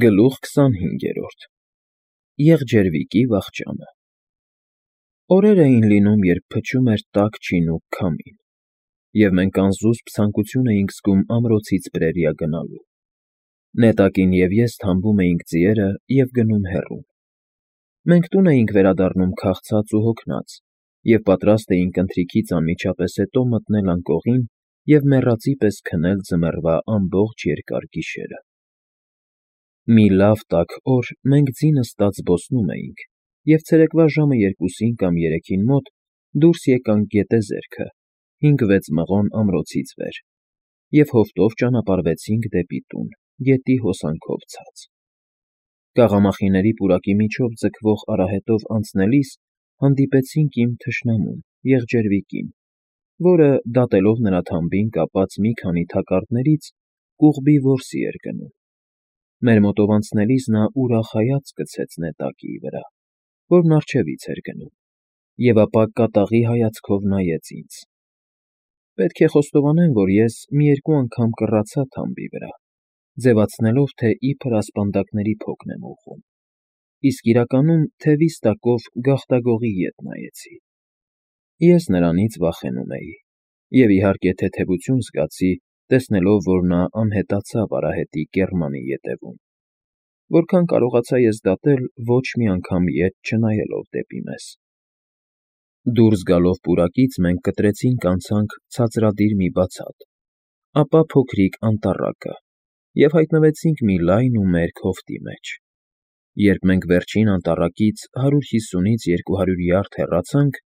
Գլուխ 25. Եղջերվիկի վախճանը։ Օրեր էին լինում, երբ փչում էր տաք չինուկ քամին, և մենք անզուսպ ցանկություն էինք զգում ամրոցից պրերիա գնալու։ Նետակին և ես թամբում էինք ձիերը և գնում հեռուն։ Մենք տուն էինք վերադառնում քաղցած ու հոգնած և պատրաստ էինք ընթրիքից անմիջապես հետո մտնել անկողին և մեռածի պես քնել ձմեռվա ամբողջ երկար գիշերը։ Մի լավ տաք օր մենք ձի նստած զբոսնում էինք և ցերեկվա ժամը 2-ին կամ 3-ին մոտ դուրս եկանք գետեզերքը 5-6 մղոն ամրոցից վեր և հովտով ճանապարհվեցինք դեպի տուն, գետի հոսանքով ցած։ Կաղամախիների պուրակի միջով ձգվող արահետով անցնելիս հանդիպեցինք իմ թշնամուն՝ եղջերվիկին, որը, դատելով նրա թամբին կապած մի քանի թակարդներից, կուղբի որսի էր գնում։ Մեր մոտով անցնելիս նա ուրախ հայացք գցեց նետակի վրա, որն առջևից էր գնում, և ապա կատաղի հայացքով նայեց ինձ։ Պետք է խոստովանեմ, որ ես մի երկու անգամ կռացա թամբի վրա, ձևացնելով, թե իբր ասպանդակների փոքն եմ ուղղում, իսկ իրականում թևիս տակով գաղտագողի ետ նայեցի։ Ես նրանից վախենում էի և, իհարկե, թեթևություն զգացի, տեսնելով, որ նա անհետացավ արահետի կեռմանի ետևում, որքան կարողացա ես դատել ոչ մի անգամ ետ չնայելով դեպի մեզ։ Դուրս գալով պուրակից մենք կտրեցինք անցանք ցածրադիր մի բացատ, ապա փոքրիկ անտառակը և հայտնվեցինք մի լայն ու մերկ հովտի մեջ։ Երբ մենք վերջին անտառակից 150-ից 200 յարդ հեռացանք,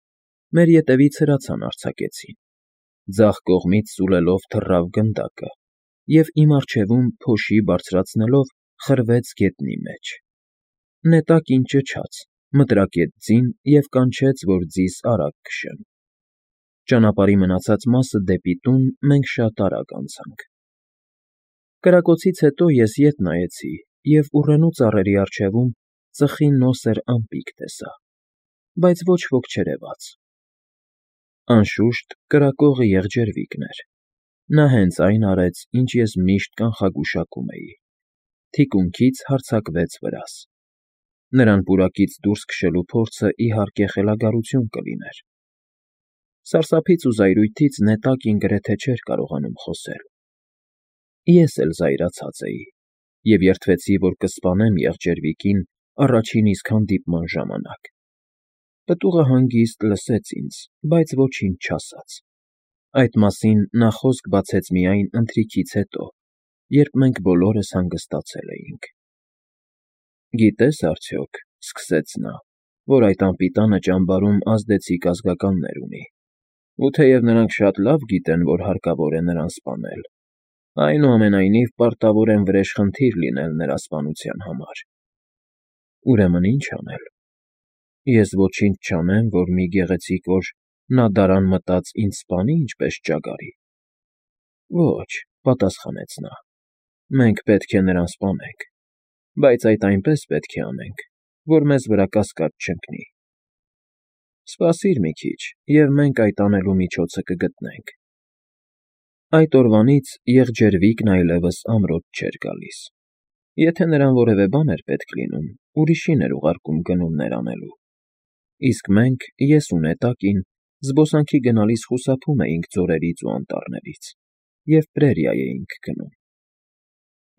մեր ետևից հրացան արձակեցին, ձախ կողմից սուլելով թռավ գնդակը և իմ առջևում փոշի բարձրացնելով խրվեց գետնի մեջ։ Նետակին ճչաց, մտրակեց ձին և կանչեց, որ ձիս արագ քշեմ։ Ճանապարհի մնացած մասը դեպի տուն մենք շատ արագ անցանք։ Կրակոցից հետո ես ետ նայեցի և ուռենու ծառերի առջևում ծխի նոսր ամպիկ տեսա, բայց ոչ ոք չերևաց։ Անշուշտ, կրակողը եղջերվիկն էր։ Նա հենց այն արեց, ինչ ես միշտ կանխագուշակում էի։ Թիկունքից հարձակվեց վրաս։ Նրան պուրակից դուրս քշելու փորձը, իհարկե, խելագարություն կլիներ։ Սարսափից ու զայրույթից նետակին գրեթե չէր կարողանում խոսել։ Ես էլ զայրացած էի և երդվեցի, որ կսպանեմ եղջերվիկին առաջին իսկ հանդիպման ժամանակ։ Պտուղը հանգիստ լսեց ինձ, բայց ոչինչ չասաց։ Այդ մասին նա խոսք բացեց միայն ընթրիքից հետո, երբ մենք բոլորս հանգստացել էինք։ «Գիտես արդյոք,֊ սկսեց նա,֊ որ այդ անպիտանը ճամբարում ազդեցիկ ազգականներ ունի, ու թեև նրանք շատ լավ գիտեն, որ հարկավոր է նրան սպանել, այնուամենայնիվ պարտավոր են վրեժխնդիր լինել նրա սպանության համար։ Ուրեմն ի՞նչ անել։ Ես ոչինչ չանեմ, որ մի գեղեցիկ օր նա դարան մտած ինձ սպանի ինչպես ճագարի։ Ոչ,֊ պատասխանեց նա, մենք պետք է նրան սպանենք, բայց այդ այնպես պետք է անենք, որ մեզ վրա կասկած չընկնի։ Սպասիր մի քիչ, և մենք այդ անելու միջոցը կգտնենք։ Այդ օրվանից եղջերվիկն այլևս ամրոց չէր գալիս։ Եթե նրան որևէ բան էր պետք լինում, ուրիշին էր ուղարկում գնումներ անելու։ Իսկ մենք, ես ու նետակին, զբոսանքի գնալիս խուսափում էինք ձորերից ու անտառներից և պրերիա էինք գնում։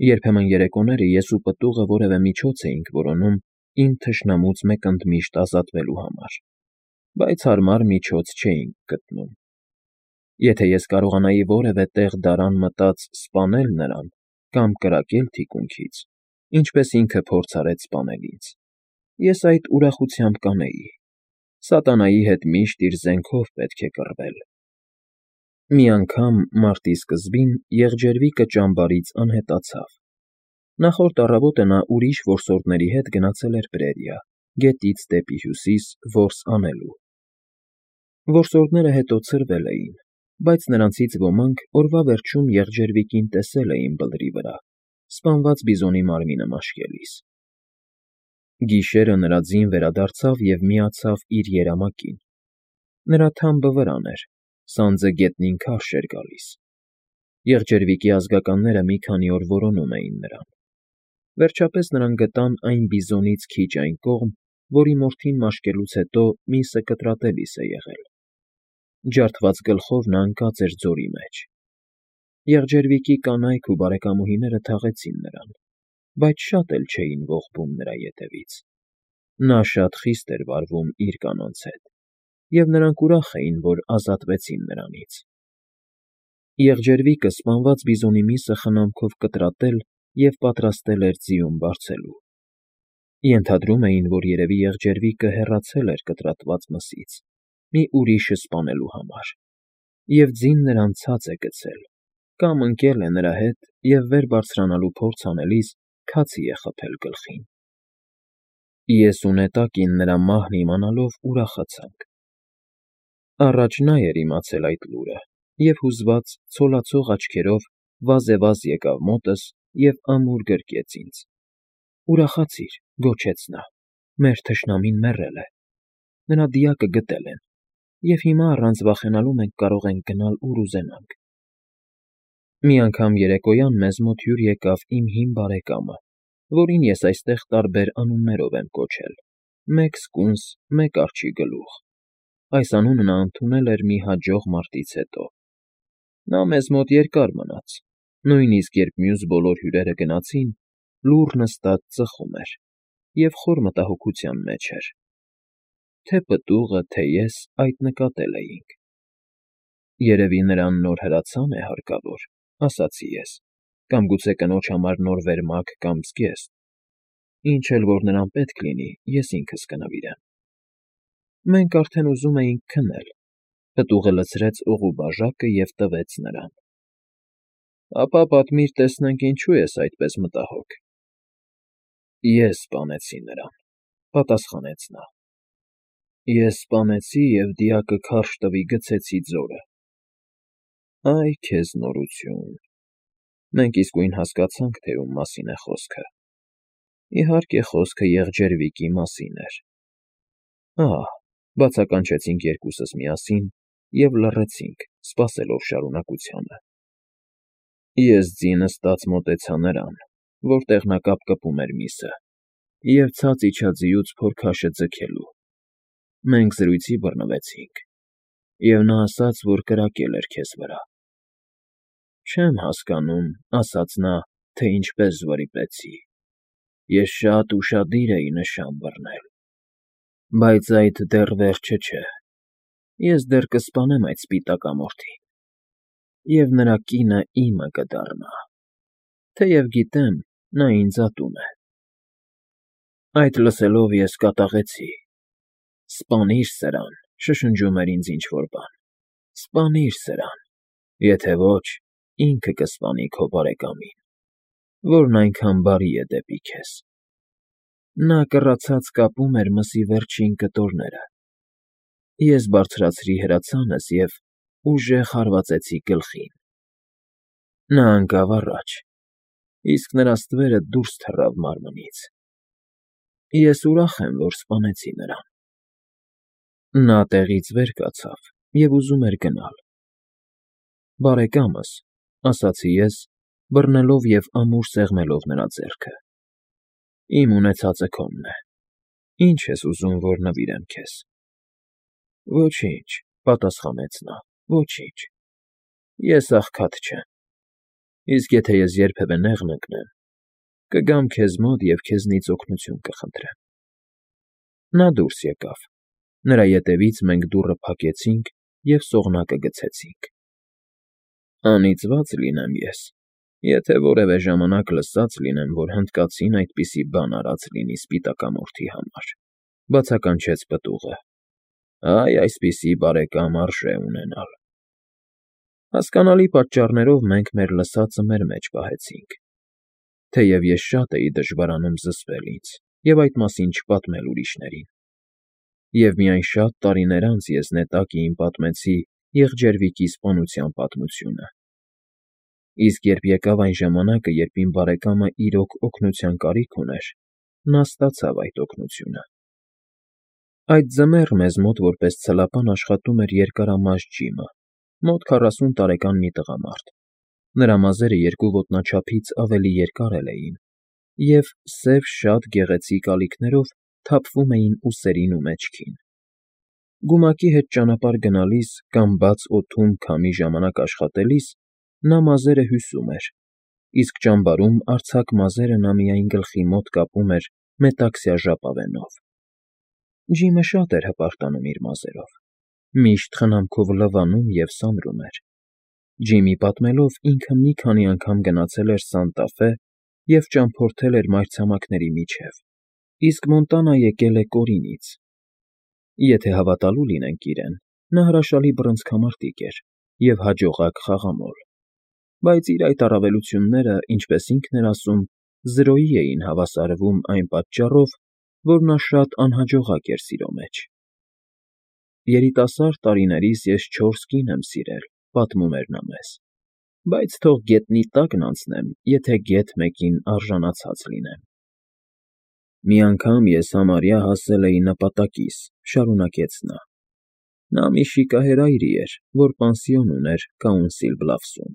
Երբեմն երեկոները ես ու պտուղը որևէ միջոց էինք որոնում իմ թշնամուց մեկընդմիշտ ազատվելու համար, բայց հարմար միջոց չէինք գտնում։ Եթե ես կարողանայի որևէ տեղ դարան մտած սպանել նրան կամ կրակել թիկունքից, ինչպես ինքը փորձ արեց սպանել ինձ, ես այդ ուրախությամբ կանեի։ Սատանայի հետ միշտ իր զենքով պետք է կռվել։ Մի անգամ, մարտի սկզբին, եղջերվիկը ճամբարից անհետացավ։ Նախորդ առավոտը նա ուրիշ որսորդների հետ գնացել էր պրերիա, գետից դեպի հյուսիս որս անելու։ Որսորդները հետո ցրվել էին, բայց նրանցից ոմանք օրվա վերջում եղջերվիկին տեսել էին բլրի վրա, սպանված բիզոնի մարմինը մաշկելիս։ Գիշերը նրա ձին վերադարձավ և միացավ իր երամակին։ Նրա թամբը վրան էր, սանձը գետնին քարշ էր գալիս։ Եղջերվիկի ազգականները մի քանի օր որոնում էին նրան։ Վերջապես նրանք գտան այն բիզոնից քիչ այն կողմ, որի մորթին մաշկելուց հետո միսը կտրատելիս է եղել։ Ջարդված գլխով նա ընկած էր ձորի մեջ։ Եղջերվիկի կանայք ու բարեկամուհիները թաղեցին նրան, բայց շատ էլ չէին ողբում նրա ետևից։ Նա շատ խիստ էր վարվում իր կանանց հետ, և նրանք ուրախ էին, որ ազատվեցին նրանից։ Եղջերվիկը սպանված բիզոնի միսը խնամքով կտրատել և պատրաստել էր ձիուն բարձելու։ Ենթադրում էին, որ երևի եղջերվիկը հեռացել էր կտրատված մսից, մի ուրիշը սպանելու համար, և ձին նրան ցած է գցել, կամ ընկել է նրա հետ և վեր բարձրանալու փորձ անելիս քացի է խփել գլխին։ Ես ու նետակին նրա մահն իմանալով ուրախացանք։ Առաջ նա էր իմացել այդ լուրը և հուզված ցոլացող աչքերով վազեվազ եկավ մոտս և ամուր գրկեց ինձ։ «Ուրախացիր», գոչեց նա, «մեր թշնամին մեռել է, նրա դիակը գտել են, և հիմա առանց վախենալու մենք կարող ենք գնալ, ուր ուզենանք»։ Մի անգամ երեկոյան մեզ մոտ հյուր եկավ իմ հին բարեկամը, որին ես այստեղ տարբեր անուններով եմ կոչել. մեկ սկունս, մեկ արջի գլուխ։ Այս անունը նա ընդունել էր մի հաջող մարտից հետո։ Նա մեզ մոտ երկար մնաց, նույնիսկ երբ մյուս բոլոր հյուրերը գնացին, լուռ նստած ծխում էր և խոր մտահոգության մեջ էր։ Թե պտուղը, թե ես այդ նկատել էինք։ «Երևի նրան նոր հրացան է հարկավոր», ասացի ես, «կամ գուցե կնոջ համար նոր վերմակ կամ զգեստ։ Ինչ էլ որ նրան պետք լինի, ես ինքս կնվիրեմ»։ Մենք արդեն ուզում էինք քնել։ Պտուղը լցրեց օղու բաժակը և տվեց նրան։ «Ապա պատմիր, տեսնենք ինչու ես այդպես մտահոգ»։ «Ես սպանեցի նրան», պատասխանեց նա։ «Ես սպանեցի և դիակը քարշ տվի գցեցի ձորը»։ Այ քեզ նորություն։ Մենք իսկույն հասկացանք, թե ում մասին է խոսքը։ Իհարկե, խոսքը եղջերվիկի մասին էր։ Ահ, բացականչեցինք երկուսս միասին և լռեցինք, սպասելով շարունակությանը։ Ես ձի նստած մոտեցա նրան, որտեղ նա կապկպում էր միսը, և ցած իջա ձիուց փորքաշը ձգելու։ Մենք զրույցի բռնվեցինք, և նա ասաց, որ կրակել էր քեզ վրա։ Չեմ հասկանում, ասաց նա, թե ինչպես վրիպեցի։ Ես շատ ուշադիր էի նշան բռնել։ Բայց այդ դեռ վերջը չէ։ Ես դեռ կսպանեմ այդ սպիտակամորթին, և նրա կինը իմը կդառնա, թեև գիտեմ, նա ինձ ատում է։ Այդ լսելով ես կատաղեցի։ «Սպանիր սրան», շշնջում էր ինձ ինչ֊որ բան։ «Սպանիր սրան, եթե ոչ, ինքը կսպանի քո բարեկամին, որն այնքան բարի է դեպի քեզ»։ Նա կռացած կապում էր մսի վերջին կտորները։ Ես բարձրացրի հրացանս և ուժեղ հարվածեցի գլխին։ Նա ընկավ առաջ, իսկ նրա ստվերը դուրս թռավ մարմնից։ Ես ուրախ եմ, որ սպանեցի նրան։ Նա տեղից վեր կացավ և ուզում էր գնալ։ Բարեկամս, ասացի ես, բռնելով և ամուր սեղմելով նրա ձեռքը, իմ ունեցածը քոնն է։ Ինչ ես ուզում, որ նվիրեմ քեզ։ Ոչինչ, պատասխանեց նա, ոչինչ։ Ես աղքատ չեմ։ Իսկ եթե ես երբևէ նեղն ընկնեմ, կգամ քեզ մոտ և քեզնից օգնություն կխնդրեմ։ Նա դուրս եկավ։ Նրա ետևից մենք դուռը փակեցինք և սողնակը գցեցինք։ Անիծված լինեմ ես, եթե որևէ ժամանակ լսած լինեմ, որ հնդկացին այդպիսի բան արած լինի սպիտակամորթի համար, բացականչեց պտուղը։ Այ այսպիսի բարեկամ արժե ունենալ։ Հասկանալի պատճառներով մենք մեր լսածը մեր մեջ պահեցինք։ Թեև ես շատ էի դժվարանում զսպել ինձ և այդ մասին չպատմել ուրիշներին։ Եվ միայն շատ տարիներ անց ես նետակին պատմեցի եղջերվիկի սպանության պատմությունը։ Իսկ երբ եկավ այն ժամանակը, երբ իմ բարեկամը իրոք օգնության կարիք ուներ, նա ստացավ այդ օգնությունը։ Այդ ձմեռ մեզ մոտ որպես ցլապան աշխատում էր երկարամաշ Ջիմը, մոտ 40 տարեկան մի տղամարդ։ Նրա մազերը երկու ոտնաչափից ավելի երկար էլ էին, և սև շատ գեղեցիկ ալիքներով թափվում էին ուսերին ու մեջքին։ Գումակի հետ ճանապարհ գնալիս կամ բաց օդում քամի ժամանակ աշխատելիս նա մազերը հյուսում էր, իսկ ճամբարում արձակ մազերը նա միայն գլխի մոտ կապում էր մետաքսյա ժապավենով։ Ջիմը շատ էր հպարտանում իր մազերով, միշտ խնամքով լվանում և սանրում էր։ Ջիմի պատմելով ինքը մի քանի անգամ գնացել էր Սանտա Ֆե և ճամփորդել էր մայրցամաքների միջև, իսկ Մոնտանա եկել է Կորինից։ Եթե հավատալու լինենք իրեն, նա հրաշալի բռնցքամարտիկ էր և հաջողակ խաղամոլ, բայց իր այդ առավելությունները, ինչպես ինքն էր ասում, զրոյի էին հավասարվում այն պատճառով, որ նա շատ անհաջողակ էր սիրո մեջ։ «Երիտասարդ տարիներիս ես 4 կին եմ սիրել», պատմում էր նա մեզ, «բայց թող գետնի տակն անցնեմ, եթե գեթ մեկին արժանացած լինեմ»։ «Մի անգամ ես համարյա հասել էի նպատակիս», շարունակեց նա։ Նա մի շիկահեր այրի էր, որ պանսիոն ուներ Կաունսիլ Բլաֆսում։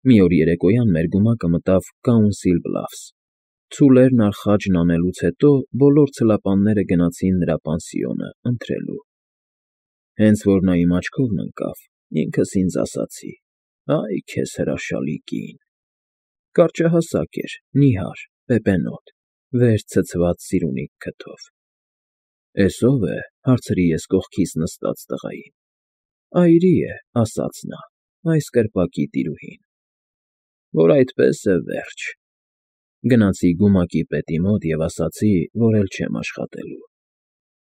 Մի օր երեկոյան մեր գումակը մտավ Կաունսիլ Բլաֆս։ Ցուլերն արխաջն անելուց հետո բոլոր ցլապանները գնացին նրա պանսիոնը ընթրելու։ Հենց որ նա իմ աչքովն ընկավ, ինքս ինձ ասացի. «Այ քեզ հրաշալի կին»։ Կարճահասակ էր, նիհար, պեպենոտ, վեր ցցված սիրունիկ քթով։ «Էս ո՞վ է», հարցրի ես կողքիս նստած տղային։ «Այրի է», ասաց նա, «այս կրպակի տիրուհին»։ Որ այդպես է, վերջ։ Գնացի գումակի պետի մոտ և ասացի, որ էլ չեմ աշխատելու։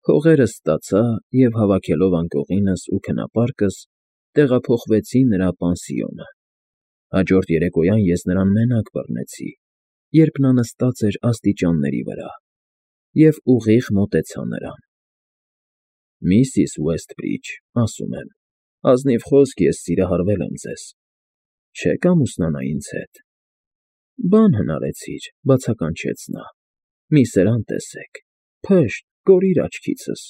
Փողերս ստացա և, հավաքելով անկողինս ու քնապարկս, տեղափոխվեցի նրա պանսիոնը։ Հաջորդ երեկոյան ես նրան մենակ բռնեցի, երբ նա նստած էր աստիճանների վրա, և ուղիղ մոտեցա նրան։ «Միսիս Ուեսթբրիջ, ասում եմ, ազնիվ խոսք ես սիրահարվել եմ ձեզ, չե՞ք ամուսնանա ինձ հետ»։ «Բան հնարեցիր», բացականչեց նա, «մի սրան տեսեք, փշտ, կորիր աչքիցս»։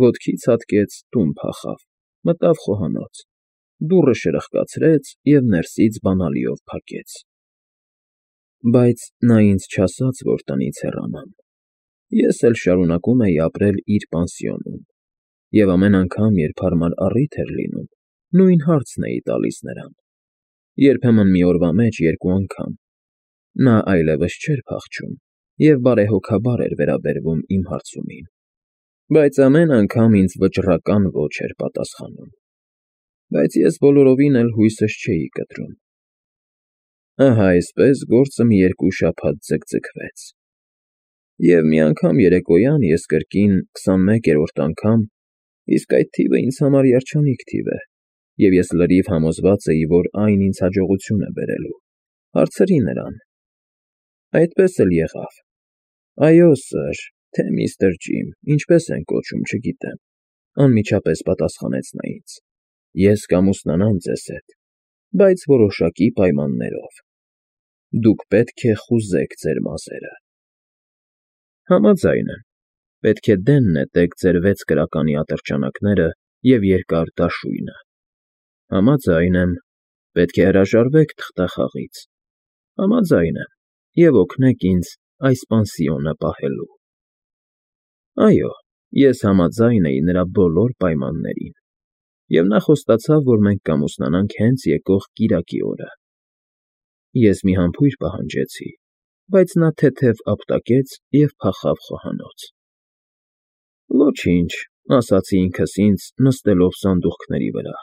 Ոտքից հատկեց, տուն փախավ, մտավ խոհանոց, դուռը շրխկացրեց և ներսից բանալիով փակեց։ Բայց նա ինձ չասաց, որ տնից հեռանամ։ Ես էլ շարունակում էի ապրել իր պանսիոնում, և ամեն անգամ, երբ հարմար առիթ էր լինում, նույն հարցն էի տալիս նրան, երբեմն մի օրվա մեջ 2 անգամ։ Նա այլևս չէր փախչում և բարեհոգաբար էր վերաբերվում իմ հարցումին, բայց ամեն անգամ ինձ վճռական ոչ էր պատասխանում։ Բայց ես բոլորովին էլ հույսս չէի կտրում։ Ահա այսպես գործը մի 2 շաբաթ ձգձգվեց։ Եվ մի անգամ երեկոյան ես կրկին 21-րդ անգամ, իսկ այդ թիվը ինձ համար երջանիկ թիվ է, և ես լրիվ համոզված էի, որ այն ինձ հաջողություն է բերելու, հարցրի նրան։ Այդպես էլ եղավ։ «Այո, սըր, թե միստր Ջիմ, ինչպես են կոչում, չգիտեմ», անմիջապես պատասխանեց նա ինձ։ «Ես կամուսնանամ ձեզ հետ, բայց որոշակի պայմաններով։ Դուք պետք է խուզեք ձեր մազերը»։ Համաձայն եմ։ Պետք է դեն նետեք ձեր 6 կրականի ատրճանակները և երկար դաշույնը։ Համաձայն եմ։ Պետք է հրաժարվեք թղթախաղից։ Համաձայն եմ և օգնեք ինձ այս պանսիոնը պահելու։ Այո, ես համաձայն էի նրա բոլոր պայմաններին, և նա խոստացավ, որ մենք կամուսնանանք հենց եկող կիրակի օրը։ Ես մի համբույր պահանջեցի, բայց նա թեթև ապտակեց և փախավ խոհանոց։ Ոչինչ, ասացի ինքս ինձ, նստելով սանդուղքների վրա,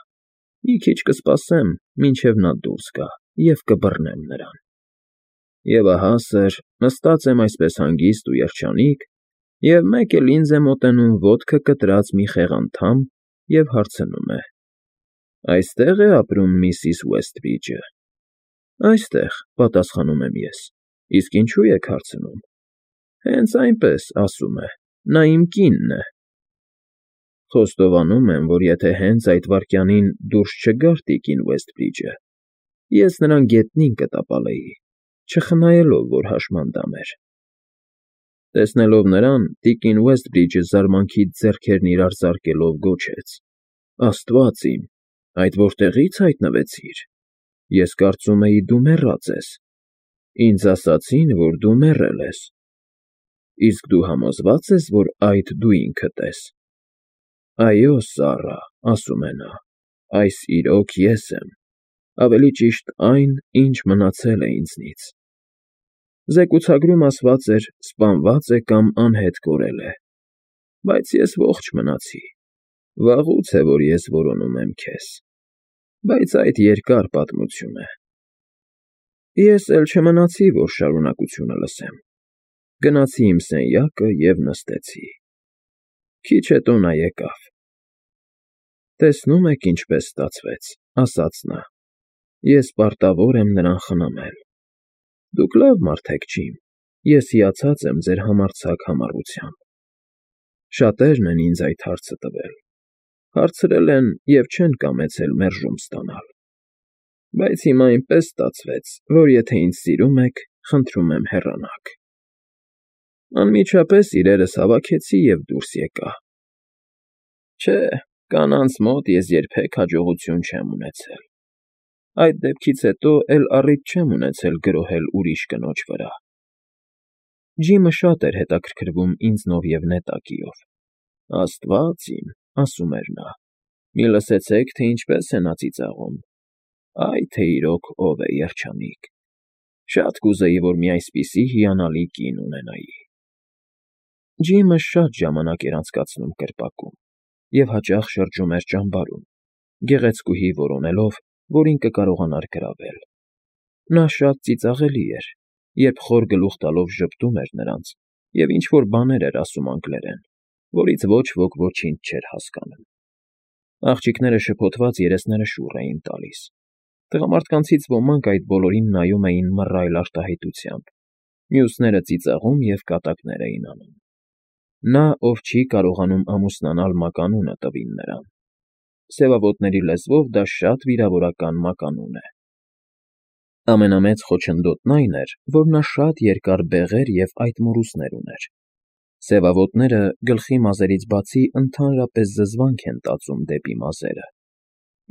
մի քիչ կսպասեմ, մինչև նա դուրս գա, և կբռնեմ նրան։ Եվ ահա, սըր, նստած եմ այսպես հանգիստ ու երջանիկ, և մեկ էլ ինձ է մոտենում ոտքը կտրած մի խեղանդամ և հարցնում է. «Այստե՞ղ է ապրում միսիս Ուեսթբրիջը»։ «Այստեղ», պատասխանում եմ ես, իսկ ինչու եք հարցնում։ «Հենց այնպես, ասում է, նա իմ կինն է»։ Խոստովանում եմ, որ եթե հենց այդ վայրկյանին դուրս չգար տիկին Ուեսթբրիջը, ես նրան գետնին կտապալեի, չխնայելով, որ հաշմանդամ էր։ Տեսնելով նրան, տիկին Ուեսթբրիջը զարմանքից ձեռքերն իրար զարկելով գոչեց. «Աստված իմ, այդ որտեղի՞ց հայտնվեցիր։ Ես կարծում էի, դու մեռած ես»։ Ինձ ասացին, որ դու մեռել ես, իսկ դու համոզվա՞ծ ես, որ այդ դու ինքդ ես։ Այո, Սառա, ասում է նա, այս իրոք ես եմ, ավելի ճիշտ այն, ինչ մնացել է ինձնից։ Զեկուցագրում ասված էր սպանված է կամ անհետ կորել է, բայց ես ողջ մնացի, վաղուց է, որ ես որոնում եմ քեզ, բայց այդ երկար պատմություն է։ Ես էլ չմնացի, որ շարունակությունը լսեմ, գնացի իմ սենյակը և նստեցի։ Քիչ հետո նա եկավ։ Տեսնում եք ինչպես ստացվեց, ասաց նա, ես պարտավոր եմ նրան խնամել։ Դուք լավ մարդ եք, Ջիմ, ես հիացած եմ ձեր համարձակ համառությամբ։ Շատերն են ինձ այդ հարցը տվել, հարցրել են և չեն կամեցել մերժում ստանալ։ Բայց հիմա այնպես ստացվեց, որ եթե ինձ սիրում եք, խնդրում եմ հեռանաք։ Անմիջապես իրերս հավաքեցի և դուրս եկա։ Չէ, կանանց մոտ ես երբեք հաջողություն չեմ ունեցել։ Այդ դեպքից հետո էլ առիթ չեմ ունեցել գրոհել ուրիշ կնոջ վրա։ Ջիմը շատ էր հետաքրքրվում ինձնով և նետակիով։ Աստված իմ, ասում էր նա, մի լսեցեք, թե ինչպես է նա ծիծաղում։ Այ թե իրոք ով է երջանիկ։ Շատ կուզեի, որ մի այսպիսի հիանալի կին ունենայի։ Ջիմը շատ ժամանակ էր անցկացնում կրպակում և հաճախ շրջում էր ճամբարում, գեղեցկուհի որոնելով, որին կկարողանար գրավել։ Նա շատ ծիծաղելի էր, երբ խոր գլուխ տալով ժպտում էր նրանց և ինչ֊որ բաներ էր ասում անգլերեն, որից ոչ ոք ոչինչ չէր հասկանում։ Աղջիկները շփոթված երեսները շուռ էին տալիս։ Տղամարդկանցից ոմանք այդ բոլորին նայում էին մռայլ արտահայտությամբ, մյուսները ծիծաղում և կատակներ էին անում։ Նա, ով չի կարողանում ամուսնանալ մականունը տվին նրան։ Սևավոտների լեզվով դա շատ վիրավորական մականուն է։ Ամենամեծ խոչընդոտն այն էր, որ նա շատ երկար բեղեր և այտ մորուսներ ուներ։ Սևավոտները գլխի մազերից բացի ընդհանրապես զզվանք են տածում դեպի մազերը։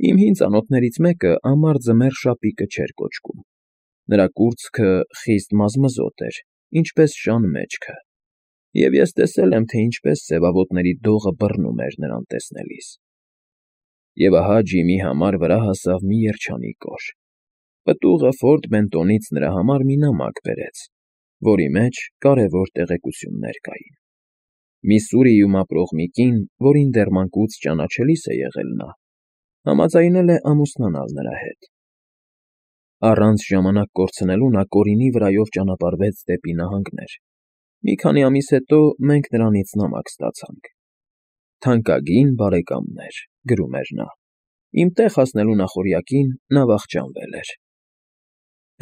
Իմ հին ծանոթներից մեկը ամառ ձմեռ շապիկը չէր կոչկում։ Նրա կուրծքը խիստ մազմզոտ էր, ինչպես շան մեջքը, և ես տեսել եմ, թե ինչպես սևավոտների դողը բռնում էր նրան տեսնելիս։ Եվ ահա Ջիմի համար վրա հասավ մի երջանիկ օր։ Պտուղը Ֆորտ Բենտոնից նրա համար մի նամակ բերեց, որի մեջ կարևոր տեղեկություններ կային։ Միսսուրիում ապրող մի կին, որին դեռ մանկուց ճանաչելիս է եղել նա, համաձայնել է ամուսնանալ նրա հետ։ Առանց ժամանակ կորցնելու նա Կորինի վրայով ճանապարհվեց դեպի նահանգներ։ Մի քանի ամիս հետո մենք նրանից նամակ ստացանք։ Թանկագին բարեկամներ, գրում էր նա, իմ տեղ հասնելու նախօրյակին նա վախճանվել էր։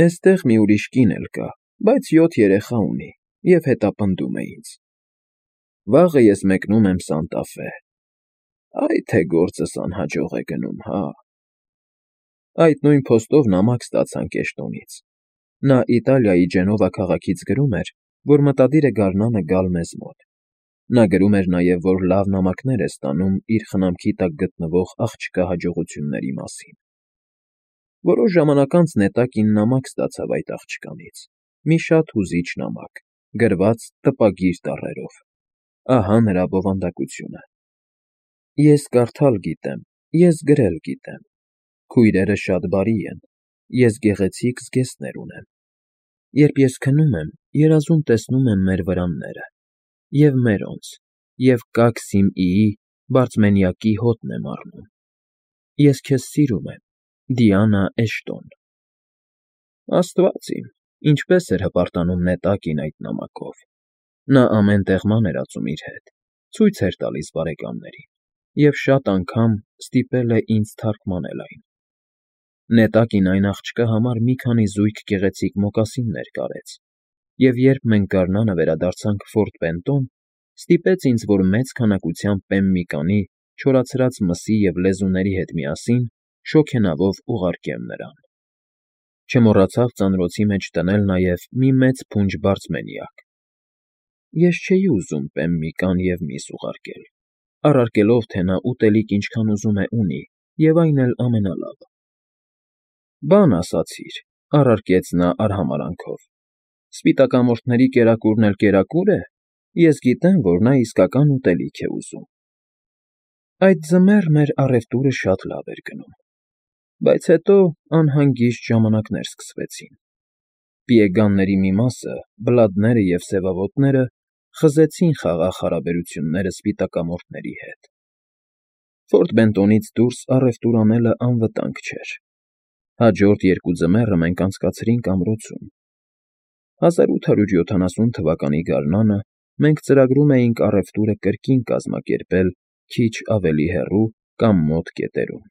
Էստեղ մի ուրիշ կին էլ կա, բայց 7 երեխա ունի և հետապնդում է ինձ։ Վաղը ես մեկնում եմ Սանտա Ֆե։ Այ թե գործս անհաջող է գնում, հա։ Այդ նույն փոստով նամակ ստացանք Էշտոնից։ Նա Իտալիայի Ջենովա քաղաքից գրում էր, որ մտադիր է գարնանը գալ մեզ մոտ։ Նա գրում էր նաև, որ լավ նամակներ է ստանում իր խնամքի տակ գտնվող աղջկա հաջողությունների մասին։ Որոշ ժամանակ անց նետակին նամակ ստացավ այդ աղջկանից, մի շատ հուզիչ նամակ, գրված տպագիր տառերով։ Ահա նրա բովանդակությունը. Ես կարդալ գիտեմ, ես գրել գիտեմ։ Քույրերը շատ բարի են, ես գեղեցիկ զգեստներ ունեմ։ Երբ ես քնում եմ, երազում տեսնում եմ մեր վրանները, և մերոնց, և Կաքսիմիի բարձմենյակի հոտն եմ առնում։ Ես քեզ սիրում եմ, Դիանա Էշտոն։ Աստված իմ, ինչպես էր հպարտանում նետակին այդ նամակով։ Նա ամեն տեղ ման էր ածում իր հետ, ցույց էր տալիս բարեկամներին և շատ անգամ ստիպել է ինձ թարգմանել այն։ Նետակին այն աղջկա համար մի քանի զույգ գեղեցիկ մոկասիններ կարեց, և երբ մենք գարնանը վերադարձանք Ֆորտ Բենտոն, ստիպեց ինձ, որ մեծ քանակությամբ պեմ մի կանի չորացրած մսի և լեզուների հետ միասին շոգենավով ուղարկեմ նրան։ Չմոռացավ ծանրոցի մեջ դնել նաև մի մեծ փունջ բարձմենյակ։ Ես չէի ուզում պեմ մի կան և միս ուղարկել, առարկելով, թե նա ուտելիք ինչքան ուզում է ունի, և այն էլ ամենալավը։ Բան ասացիր, առարկեց նա արհամարհանքով, Սպիտակամորթների կերակուրն էլ կերակուր է, ես գիտեմ, որ նա իսկական ուտելիք է ուզում։ Այդ ձմեռ մեր առևտուրը շատ լավ էր գնում, բայց հետո անհանգիստ ժամանակներ սկսվեցին։ Պիեգանների մի մասը, բլադները և սևավոտները, խզեցին խաղաղ հարաբերությունները սպիտակամորթների հետ։ Ֆորտ Բենտոնից դուրս առևտուր անելը անվտանգ չէր։ Հաջորդ երկու ձմեռը մենք անցկացրինք ամրոցում։ 1870 թվականի գարնանը մենք ծրագրում էինք առևտուրը կրկին կազմակերպել քիչ ավելի հեռու կամ մոտ կետերում։